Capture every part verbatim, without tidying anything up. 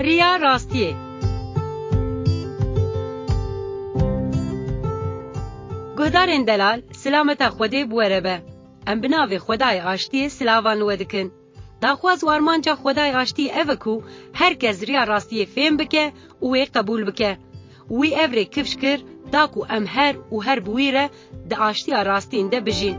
Riya rastiyê. Guhdarên delal, silameta Xwedê bi we re be. Em bi navê Xwedayê Aştiyê silavan li we dikin. Daxwaz û armanca Xwedayê Aştiyê ev e ku her kes riya rastiyê fêm bike û wê qebûl bike. Wî ev rê kifş kir, da ku em her û her bi wî re di aştiya rastîn de bijîn.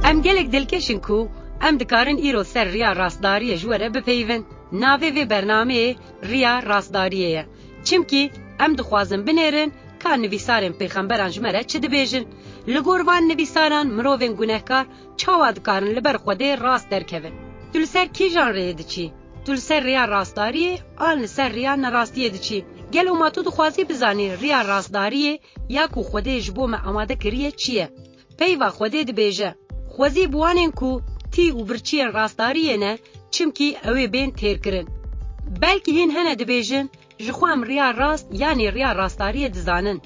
Em gelek dilkeş in ku em dikarin îro ser riya rastdariyê ji we re bipeyivin. Navê vê bernameyê Riya Rastdariyê ye. Çimkî em dixwazin binêrin ka nivîsarên pêxemberan ji me re çi dibêjin. Li gor van nivîsaran mirovên gunehkar çawa dikarin li ber Xwedê rast derkevin? Tu li ser kîjan rêyê diçî? Tu li ser rêya rastdariyê an li ser rêya nerastiyê diçî? Gelo ma tu dixwazî bizanî rêya rastdariyê ya ku Xwedê ji bo me amade kiriye çi ye? Peyva Xwedê dibêje, Xwezî bi wanên ku tî û birçiyên rastdariyê ne, çimkî ew ê bên têrkirin. Belkî hîn hene dibêjin, Ji xwe em riya rast yanî riya rastdariyê dizanin.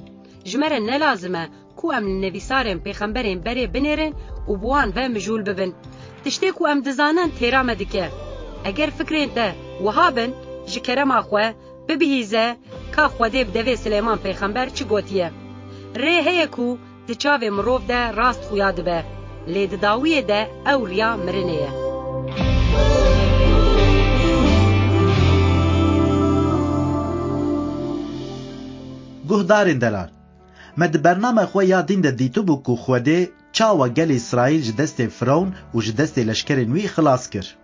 Ji me re ne lazim e ku em li nivîsarên pêxemberên berê binêrin û bi wan ve mijûl bibin. Tiştê ku em dizanin têra me dike. Eger fikrên te wiha bin, ji kerema xwe bibihîze ka Xwedê bi devê Silêman pêxember çi gotiye. Rê heye ku di çavê mirov de rast xuya dibe, lê di dawiyê de ew riya mirinê ye. Guhdarên delal, me di bername xwe ya dîn de dîtibû ku Xwedê çawa gelê Îsraîl ji destê Firewn û ji destê leşkerên wî xilas kir.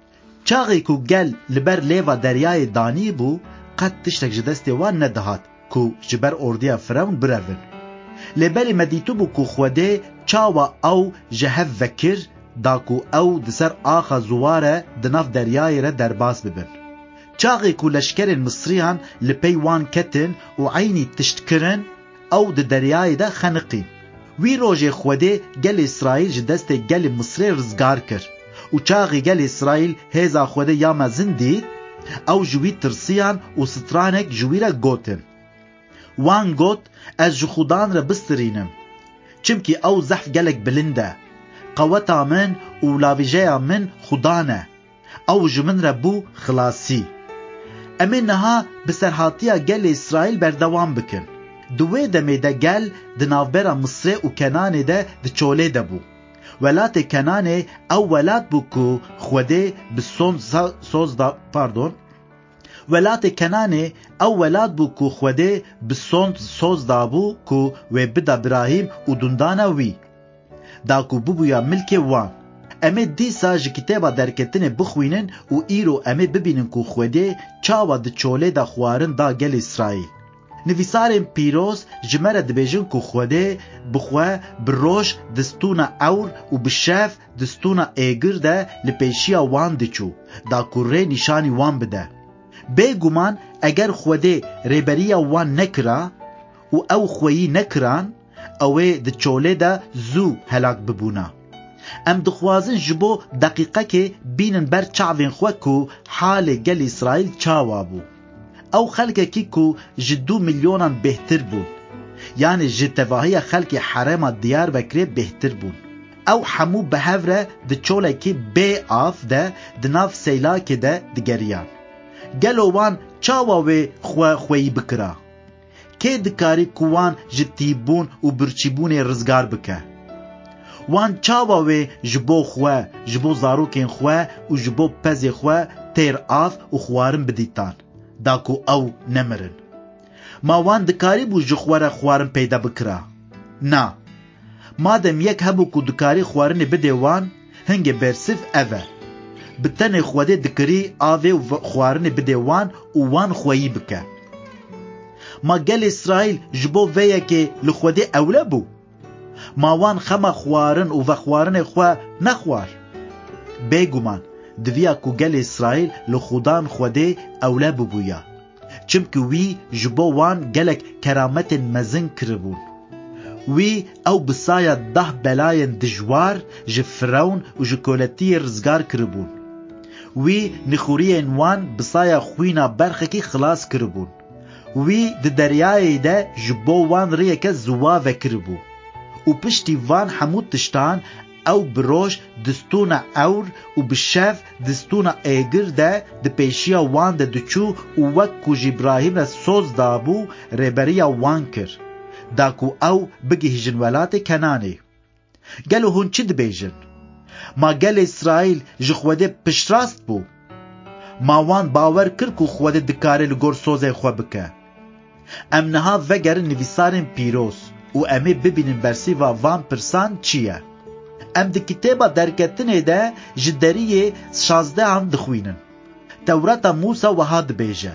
Çaxê ku gel li ber lêva deryayê danî bû, qet tiştek ji destê wan nedihat ku ji ber ordiya Firewn birevin. Lê berê me dîtibû ku Xwedê çawa ew ji hev vekir, da ku ew di ser axa ziwa re di nav deryayê re derbas bibin. Çaxê ku leşkerên Misriyan li pey wan ketin û eynî tişt kirin, ew di deryayê de xeniqîn. Wî rojê Xwedê gelê Îsraîl ji destê gelê Misrê rizgar kir. Û çaxê gelê Îsraîl hêza Xwedê ya mezin dît, ew ji wî tirsiyan û stranek ji wî re gotin. Wan got, Ez ji Xudan re bistirînim. Çimkî ew zehf gelek bilind e. Qeweta min û lavîjeya min Xudan e. Ew ji min re bû xilasî. Em ê niha bi serhatiya gelê Îsraîl berdewam bikin. Di wê demê de gel di navbera Misrê û Kenanê de di çolê de bû. Welatê Kenanê ew welat bû ku Xwedê bi sond sa-, soz da, pardon. Welatê Kenanê ew welat bû ku Xwedê bi sond soz dabû ku wê bida Birahîm û dundana wî. Da ku bibûya milkê wan. Em ê dîsa ji kitêba Derketinê bixwînin û îro em ê bibînin ku Xwedê çawa di çolê de xwarin da gelê Îsraîl. Nivîsarên pîroz ji me re dibêjin ku Xwedê bi xwe bi roj di stûna ewr û bi şev di stûna êgir de li pêşiya wan diçû, da ku rê nîşanî wan bide. Bêguman eger Xwedê rêberiya wan nekira û ew xweyî nekiran, ew ê di çolê de zû helak bibûna. Em dixwazin ji bo deqîqekê bînin ber çavên xwe ku halê gelê Îsraîl çawa bû. Ew xelkekî ku ji du milyonan bêhtir bûn, yanî ji tevahiya xelkê herêma Diyarbekirê bêhtir bûn. Ew hemû bi hev re di çolekî bê av de di nav seylakê de digeriyan. Gelo wan çawa wê xwe xweyî bikira? Kê dikarî ku wan ji tîbûn û birçîbûnê rizgar bike? Wan çawa wê ji bo xwe, ji bo zarokên xwe û ji bo pezê xwe têr av û xwarin bidîtan, da ku ew nemirin? Ma wan dikarîbû ji xwe re xwarin peyda bikira? Na. Madem yek hebû ku dikarî xwarinê bidê wan, hingê bersiv ev e. Bi tenê Xwedê dikirî avê û v-, xwarinê bidê wan û wan xweyî bike. Ma gelê Îsraîl ji bo vê yekê li Xwedê ewle bû? Ma wan xema xwarin û vexwarinê xwe nexwar? Bêguman, diviya ku gelê Îsraîl li Xudan Xwedê ewle bibûya. Çimkî wî ji bo wan gelek kerametên mezin kiribûn. Wî ew bi saya deh belayên dijwar ji Firewn û ji koletiyê rizgar kiribûn. Wî nixuriyên wan bi saya xwîna berxekî xilas kiribûn. Wî di deryayê de ji bo wan rêyeke ziwa vekiribû. Û piştî van hemû tiştan Ew bi roj di stûna ewr û bi şev di stûna êgir de di pêşiya wan de diçû û wek ku ji Îbrahîm re soz dabû, rêberiya wan kir, da ku ew bigihîjin welatê Kenanê. Gelo hûn çi dibêjin? Ma gelê Îsraîl ji Xwedê piştrast bû? Ma wan bawer kir ku Xwedê dikare li gor sozê xwe bike? Em niha vegerin nivîsarên pîroz û em ê bibînin bersîva van pirsan çi ye. Em di kitêba Derketinê de ji deriyê şazdehan dixwînin. Tewrata Mûsa wiha dibêje: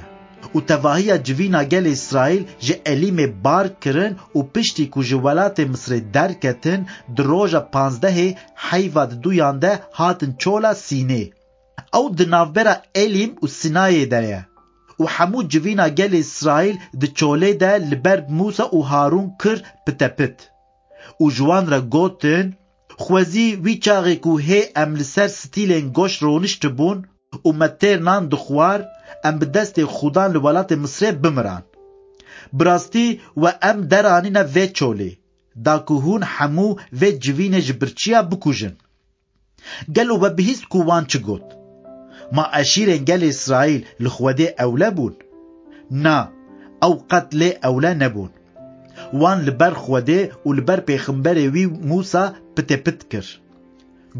Û tevahiya civîna gelê Îsraîl ji Elîmê bar kirin û piştî ku ji welatê Misrê derketin, di roja panzdehê heyva di duyan de hatin çola Sînê. Ew di navbera Elîm û Sînayê de ye. Û hemû civîna gelê Îsraîl di çolê de li ber Mûsa û Harûn kir pitepit. Û ji wan re gotin: Xwezî wî çaxê ku hê em li ser stîlên goşt roniştibûn û me têr nan dixwar, em bi destê Xudan li welatê Misrê bimiran. Bi rastî we em deranîne vê çolê, da ku hûn hemû vê civînê ji birçiya bikujin. Gelo we bihîst ku wan çi got? Ma eşîrên gelê Îsraîl li Xwedê ewle bûn? Na, ew qet lê ewle nebûn. Wan li ber Xwedê û li ber pêxemberê wî Mûsa pitepit kir.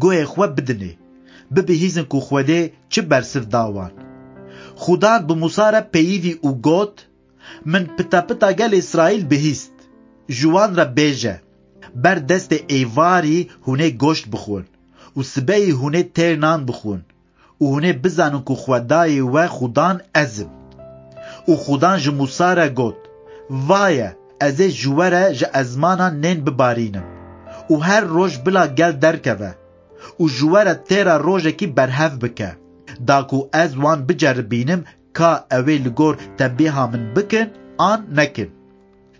Guhê xwe bidinê, bibihîzin ku Xwedê çi bersiv da wan. Xudan bi Mûsa re peyivî û got: Min pitepita gelê Îsraîl bihîst. Ji wan re bêje: Ber destê êvarî hûn ê goşt bixwin û sibehî hûn ê têr nan bixwin û hûn ê bizanin ku Xwedayê we Xudan ez im. Û Xudan ji Mûsa re got: Va ye, ez ê ji we re ji ezmanan nên bibarînim û her roj bila gel derkeve û ji we re têra rojekî berhev bike, da ku ez wan biceribînim ka ew ê li gor tembêha min bikin an nekin.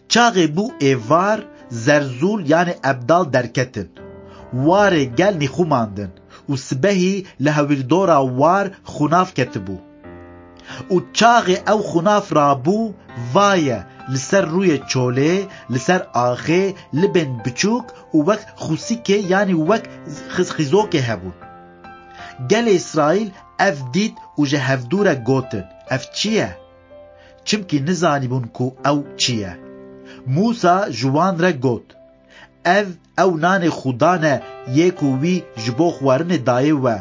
Çaxê bû êvar, zerzûl, yanê ebdal derketin. Warê gel nîxumandin û sibehî li hewîrdora war xunav ketibû. Û çaxê ew xunav rabû, va ye, li ser rûyê çolê, li ser axê, libên biçûk û wek xûsîkê, yanî wek xiz-, xizokê hebûn. Gelê Îsraîl ev dît û ji hevdû re gotin: Ev çi ye? Çimkî nizanîbûn ku ew çi ye. Mûsa ji wan re got: Ev, ew nanê Xudan e, yê ku wî ji bo xwarinê dayê we.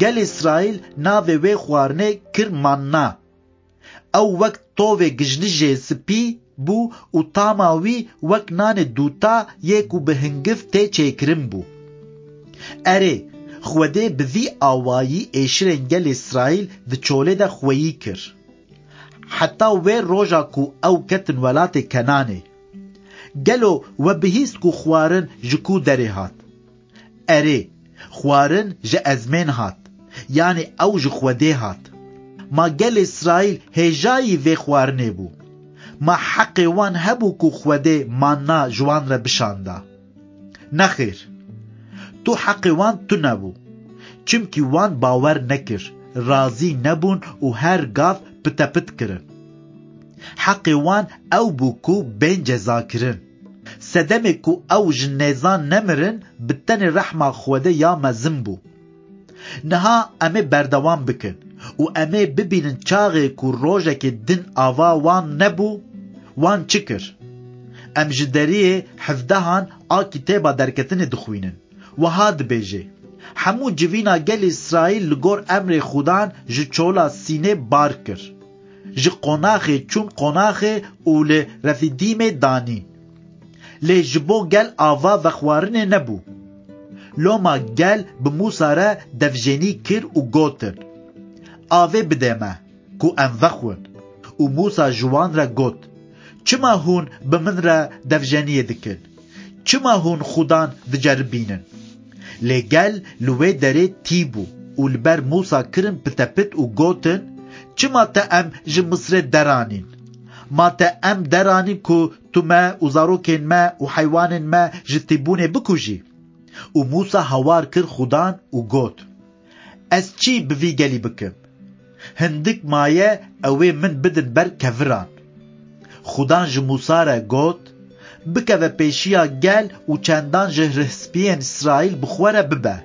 Gelê Îsraîl navê wê xwarinê kir manna. Ew wek tovê gijlijê spî bû û tama wî wek nanê dûta yê ku bi hingiv tê çêkirin bû. Erê, Xwedê bi vî awayî êşirên gelê Îsraîl di çolê de xweyî kir. Heta wê roja ku ew ketin welatê Kenanê. Gelo we bihîst ku xwarin ji ku derê hat? Erê, xwarin ji ezmên hat, yanî ew ji Xwedê hat. Ma gelê Îsraîl hêjayî vê xwarinê bû? Ma heqê wan hebû ku Xwedê manna ji wan re bişanda? Nexêr, tu heqê wan tune bû. Çimkî wan bawer nekir, razî nebûn û her gav pitepit kirin. Heqê wan ew bû ku bên cezakirin. Sedemê ku ew ji nêzan nemirin, bi tenê rehma Xwedê ya mezin bû. Niha em ê berdewam bikin û em ê bibînin çaxê ku rojekê din ava wan nebû, wan çi kir. Em ji deriyê hevdehan a kitêba Derketinê dixwînin. Wiha dibêje: Hemû civîna gelê Îsraîl li gor emrê Xudan ji çola Sînê bar kir. Ji qonaxê çûn qonaxê û li Refîdîmê danîn. Lê ji bo gel ava vexwarinê nebû. Loma gel bi Mûsa re devjenî kir û gotin: Avê bide me, ku em vexwin. Û Mûsa ji wan re got: Çima hûn bi min re devjeniyê dikin? Çima hûn Xudan diceribînin? Lê gel li wê derê tî bû û li ber Mûsa kirin pitepit û gotin: Çima te em ji Misrê deranîn? Ma te em deranîn ku tu me û zarokên me û heywanên me ji tîbûnê bikujî? Û Mûsa hawar kir Xudan û got: Ez çi bi vî gelî bikim? Hindik maye ew ê min bidin ber keviran. Xudan ji Mûsa re got: bikeve pêşiya gel û çendan ji rihspiyên Îsraîl bi xwe re bibe.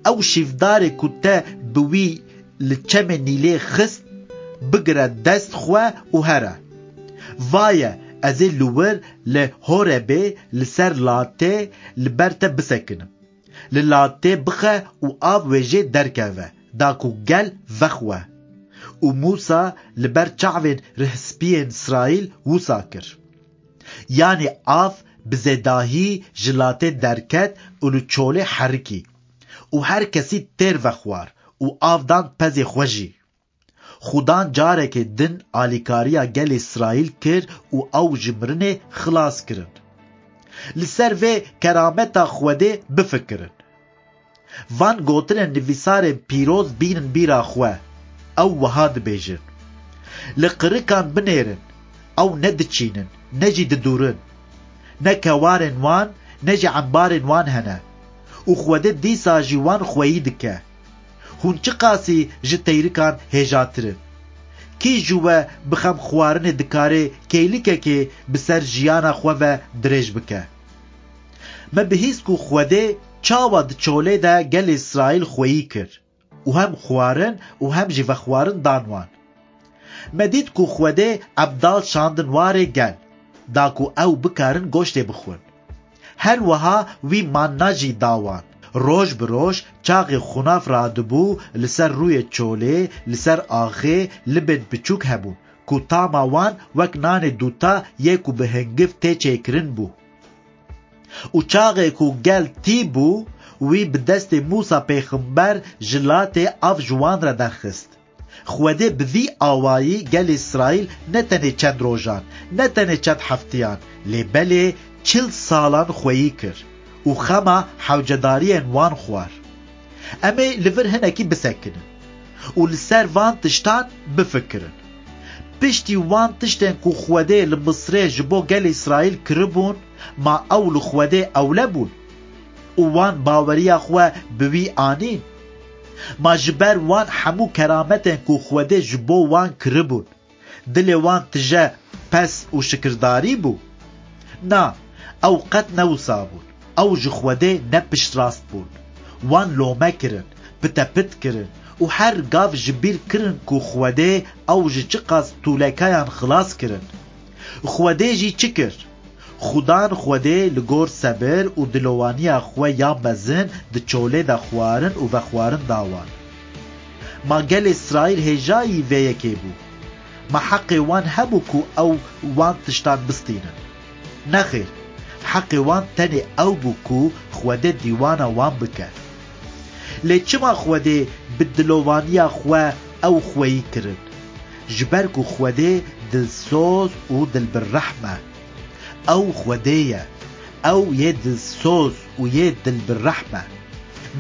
Ew şîvdarê ku te bi wî li çemê Nîlê xist, bigire dest xwe û here. Vaye, ez ê li wir li Horebê li ser latê li ber te bisekinim. Li latê bixe û av wê jê derkeve, da ku gel vexwe. Û Mûsa li ber çavên rihspiyên Îsraîl wisa kir. Yanî av bi zêdahî ji latê derket û li çolê herikî. Û her kesî têr vexwar û av dan pezê xwe jî. Xudan carekê din alîkariya gelê Îsraîl kir û ew ji mirinê xilas kirin. Li ser vê kerameta Xwedê bifikirin. Van gotinên nivîsarên pîroz bînin bîra xwe. Ew wiha dibêjin: Li qirikan binêrin, ew ne diçînin, ne jî didûrin. Ne kewarên wan, ne jî embarên wan hene. Û Xwedê dîsa jî wan xweyî dike. Hûn çiqasî ji teyrikan hêjatir in? Kî ji we bi xem xwarinê dikare kêlikekê bi ser jiyana xwe ve dirêj bike? Me bihîst ku Xwedê çawa di çolê de gelê Îsraîl xweyî kir û hem xwarin û hem jî vexwarin dan wan. Me dît ku Xwedê Ebdal şandin warê gel, da ku ew bikarin goştê bixwin. Her wiha wî manna jî da wan. Roj bi roj çaxê xunav radibû li ser rûyê çolê, li ser axê, libên piçûk hebûn, ku tama wan wek nanê dûta yê ku bi hingiv tê çêkirin bû. Û çaxê ku gel tî bû, wî bi destê Mûsa pêxember ji latê av ji wan re derxist. Xwedê bi vî awayî gelê Îsraîl ne tenê çend rojan, ne tenê çend heftiyan, lê belê çil salan xweyî kir û xema hewcedariyên wan xwar. Em ê li vir hinekî bisekinin û li ser van tiştan bifikirin. Piştî wan tiştên ku Xwedê li Misrê ji bo gelê Îsraîl kiribûn, ma ew li Xwedê ewle bûn û wan baweriya xwe bi wî anîn? Ma ji ber wan hemû kerametên ku Xwedê ji bo wan kiribûn, dilê wan tije pes û şikirdarî bû? Na, ew qet ne wisa bûn. Ew ji Xwedê ne piştrast bûn. Wan lome kirin, pitepit kirin û her gav ji bîr kirin ku Xwedê ew ji çiqas tûlekeyan xilas kirin. Xwedê jî çi kir? Xudan Xwedê li gor sebir û dilowaniya xwe ya mezin di çolê de xwarin û vexwarin da wan. Ma gelê Îsraîl hêjayî vê yekê bû? Ma heqê wan hebû ku ew wan tiştan bistînin? Nexêr, heqê wan tenê ew bû ku Xwedê dîwana wan bike. Lê çima Xwedê bi dilovaniya xwe ew xweyî kirin? Ji ber ku Xwedê dilsoz û dilbirrehm e. Ew Xwedê ye. Ew yê dilsoz û yê dilbirrehm e.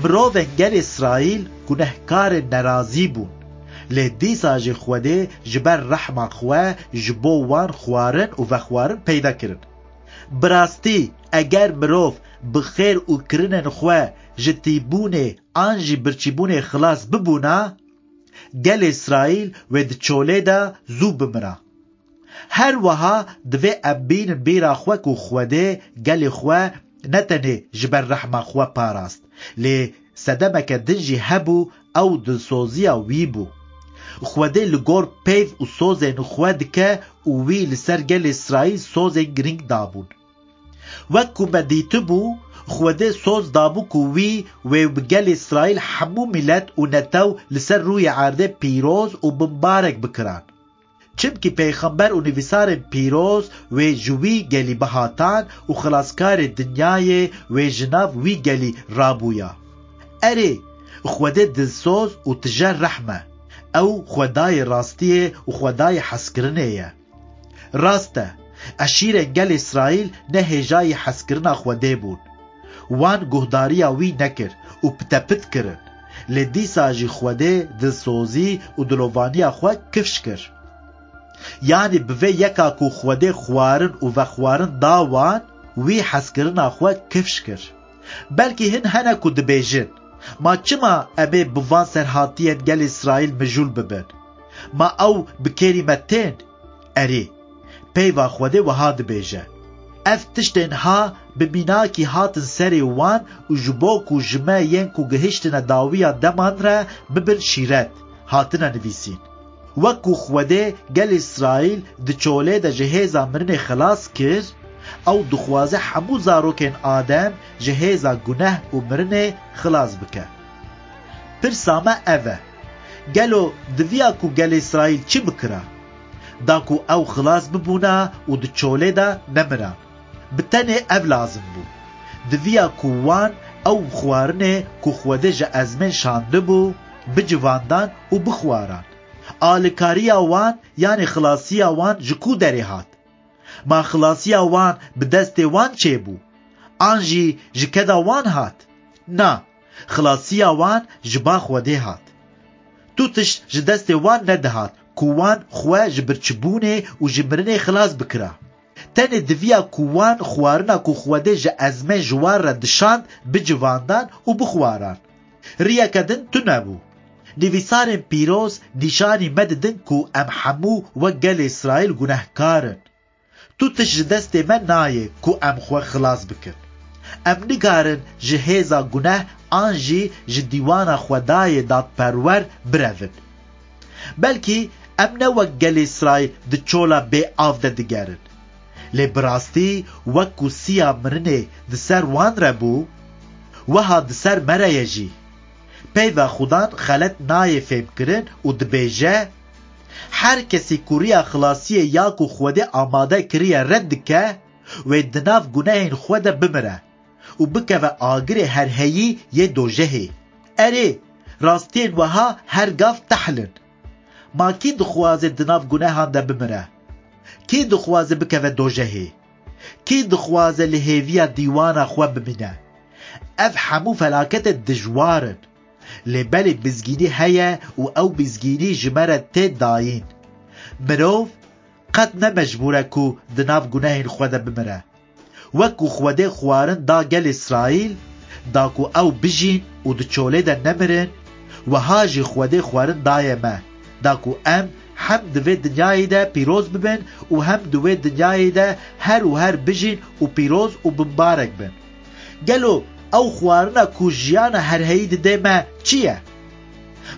Mirovên gelê Îsraîl gunehkarên nerazî bûn. Lê dîsa jî Xwedê ji ber rehma xwe ji bo wan xwarin û vexwarin peyda kirin. Bi rastî, eger mirov bi xêr û kirinên xwe ji tîbûnê an jî birçîbûnê xilas bibûna, gelê Îsraîl wê di çolê de zû bimira. Her wiha divê em bînin bîra xwe ku Xwedê gelê xwe ne tenê ji ber rehma xwe parast, lê sedemeke din jî hebû, ew dilsoziya wî bû. Xwedê li gor peyv û sozên xwe dike û wî li ser gelê Îsraîl sozên girîng dabûn. Wek ku me dîtibû, Xwedê soz dabû ku wî wê bi gelê Îsraîl hemû milet û netew li ser rûyê erdê pîroz û bimbarek bikiran. Çimkî pêxember û nivîsarên pîroz wê ji wî gelî bihatan û xilaskarê dinyayê wê ji nav wî gelî rabûya. Erê, Xwedê dilsoz û tije rehm e. Ew Xwedayê rastiyê û Xwedayê hezkirinê ye. Rast e, eşîrên gelê Îsraîl ne hêjayî hezkirina Xwedê bûn. Wan guhdariya wî nekir û pitepit kirin. Lê dîsa jî Xwedê dilsozî û dilovaniya xwe kifş kir. Yanî bi vê yeka ku Xwedê xwarin û vexwarin da wan, wî hezkirina xwe kifş kir. Belkî hin hene ku dibêjin: Ma çima em ê bi van serhatiyên gelê Îsraîl mijûl bibin? Ma ew bi kêrî me tên? Erê, peyva Xwedê wiha dibêje: Ev tiştên ha bi mînakî hatin serê wan û ji bo ku ji me yên ku gihiştine dawiya deman re bibin şîret, hatine nivîsîn. Wek ku Xwedê gelê Îsraîl di çolê de ji hêza mirinê xilas kir, ew dixwaze hemû zarokên Adem ji hêza guneh û mirinê xilas bike. Pirsa me ev e, gelo diviya ku gelê Îsraîl çi bikira? Da ku ew xilas bibûna û di çolê de nemiran. Bi tenê ev lazim bû. Diviya ku wan ew xwarinê ku Xwedê ji ezmên şandibû, bicivandan û bixwaran. Alikariya wan, yanê xilasiya wan ji ku derê hat? Ma xilasiya wan bi destê wan çêbû? An jî ji keda wan hat? Na, xilasiya wan ji ba Xwedê hat. Tu tişt ji destê wan nedihat ku wan xwe ji birçibûnê û ji mirinê xilas bikira. Tenê diviya ku wan xwarina ku Xwedê ji ezmên ji wan re dişand bicivandan û bixwaran. Riyeke din tune bû. Nivîsarên pîroz nîşanî me didin ku em hemû wek gelê Îsraîl gunehkar in. Tu tişt ji destê me nayê ku em xwe xilas bikin. Em nikarin ji hêza guneh an jî ji dîwana Xwedayê dadperwer birevin. Belkî em ne wek gelê Îsraîl di çola bê av de digerin. Lê bi rastî wek ku siya mirinê di ser wan re bû, wiha di ser me re ye jî. Peyva Xudan xelet nayê fêmkirin û dibêje, her kesî ku riya xilasiyê ya ku Xwedê amade kiriye red dike, wê di nav gunehên xwe de bimire û bikeve agirê herheyî yê dojehê. Erê, rastiyên wiha her gav tehl in. Ma kî dixwaze di nav gunehan de bimire? Kî dixwaze bikeve dojehê? Kî dixwaze li hêviya dîwana xwe bimîne? Ev hemû felaketên dijwar in. Lê belê mizgînî heye û ew mizgînî ji me re tê dayîn. Mirov qet ne mecbûr e ku di nav gunehên xwe de bimire. Wek ku Xwedê xwarin da gelê Îsraîl, da ku ew bijîn û di çolê de nemirin, wiha jî Xwedê xwarin daye me, da ku em hem di vê dinyayê de pîroz bibin û hem di wê dinyayê de her û her bijîn û pîroz û bimbarek bin. Gelo ew xwarina ku jiyana herheyî dide me çi ye?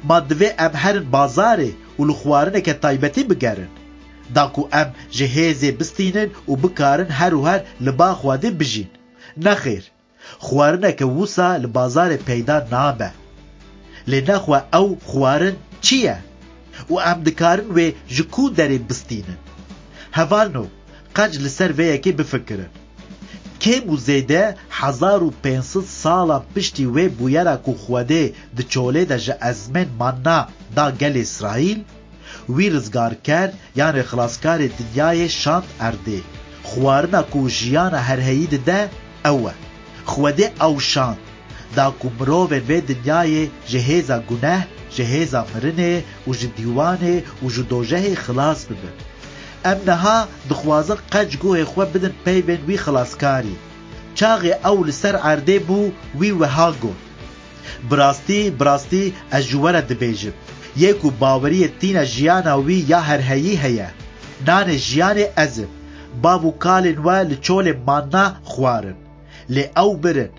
Ma divê em herin bazarê û li xwarineke taybetî bigerin, da ku em ji hêzê bistînin û bikarin her û her li ba Xwedê bijîn? Nexêr, xwarineke wisa li bazarê peyda nabe. Lê nexwe ew xwarin çi ye? Û em dikarin wê ji ku derê bistînin? Hevalno, qenc li ser vê yekê bifikirin. Kêm û zêde hezar û pênc sed salan piştî wê bûyera ku Xwedê di çolê de ji ezmên manna da gelê Îsraîl, wî rizgarker, yanê xilaskarê dinyayê şand erdê. Xwarina ku jiyana herheyî dide, ew e. Xwedê ew şand, da ku mirovên vê dinyayê ji hêza guneh, ji hêza mirinê û ji dîwanê û ji dojehê xilas bibin. Em niha dixwazin qenc guhê xwe bidin peyvên wî xilaskarî. Çaxê ew li ser erdê bû, wî wiha got, Bi rastî, bi rastî ez ji we re dibêjim, yê ku baweriyê tîne jiyana wî ya herheyî heye. Nanê jiyanê ez im. Bav û kalên we li çolê manna xwarin. Lê ew mirin.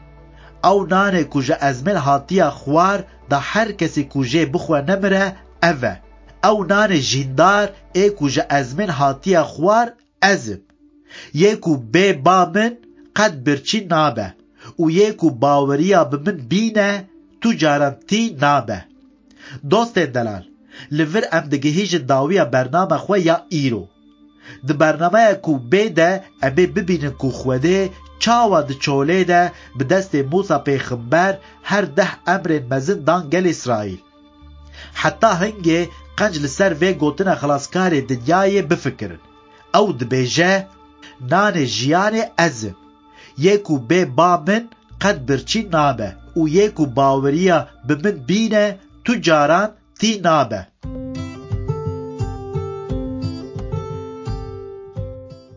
Ew nanê ku ji ezmên hatiye xwar da her kesî ku jê bixwe nemire, ev e. Ew nanê jîndar ê ku ji ezmên hatiye xwar, ez im. Yê ku bê ba min qet birçî nabe û yê ku baweriya bi min bîne tu caran tî nabe. Dostên delal, li vir em digihîjin dawiya bername xwe ya îro. Di bernameya ku bê de em ê bibînin ku Xwedê çawa di çolê de bi destê Mûsa pêxember her deh emrên mezin dan gelê Îsraîl. Heta hingê qenc li ser vê gotina Xilaskarê dinyayê bifikirin. Ew dibêje, Nanê jiyanê ez im. Yê ku bê ba min qet birçî nabe û yê ku baweriya bi min bîne tu caran tî nabe.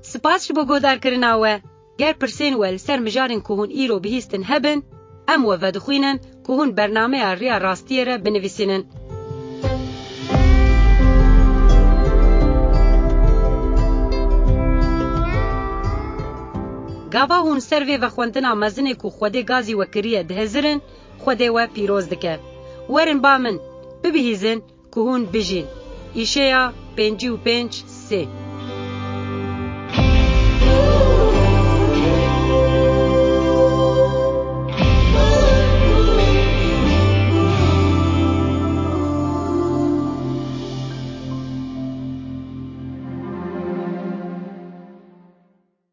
Spas ji bo guhdarkirina we. Ger pirsên we li ser mijarên ku hûn îro bihîstin hebin, em we vedixwînin ku hûn bernameya Riya Rastiyê re binivîsînin. Gava hûn ser vê vexwendina mezinê ku Xwedê gazî we kiriye dihizirin, Xwedê we pîroz dike. Werin ba min, bibihîzin ku hûn bijîn. Îşeya pêncî û pênc sê.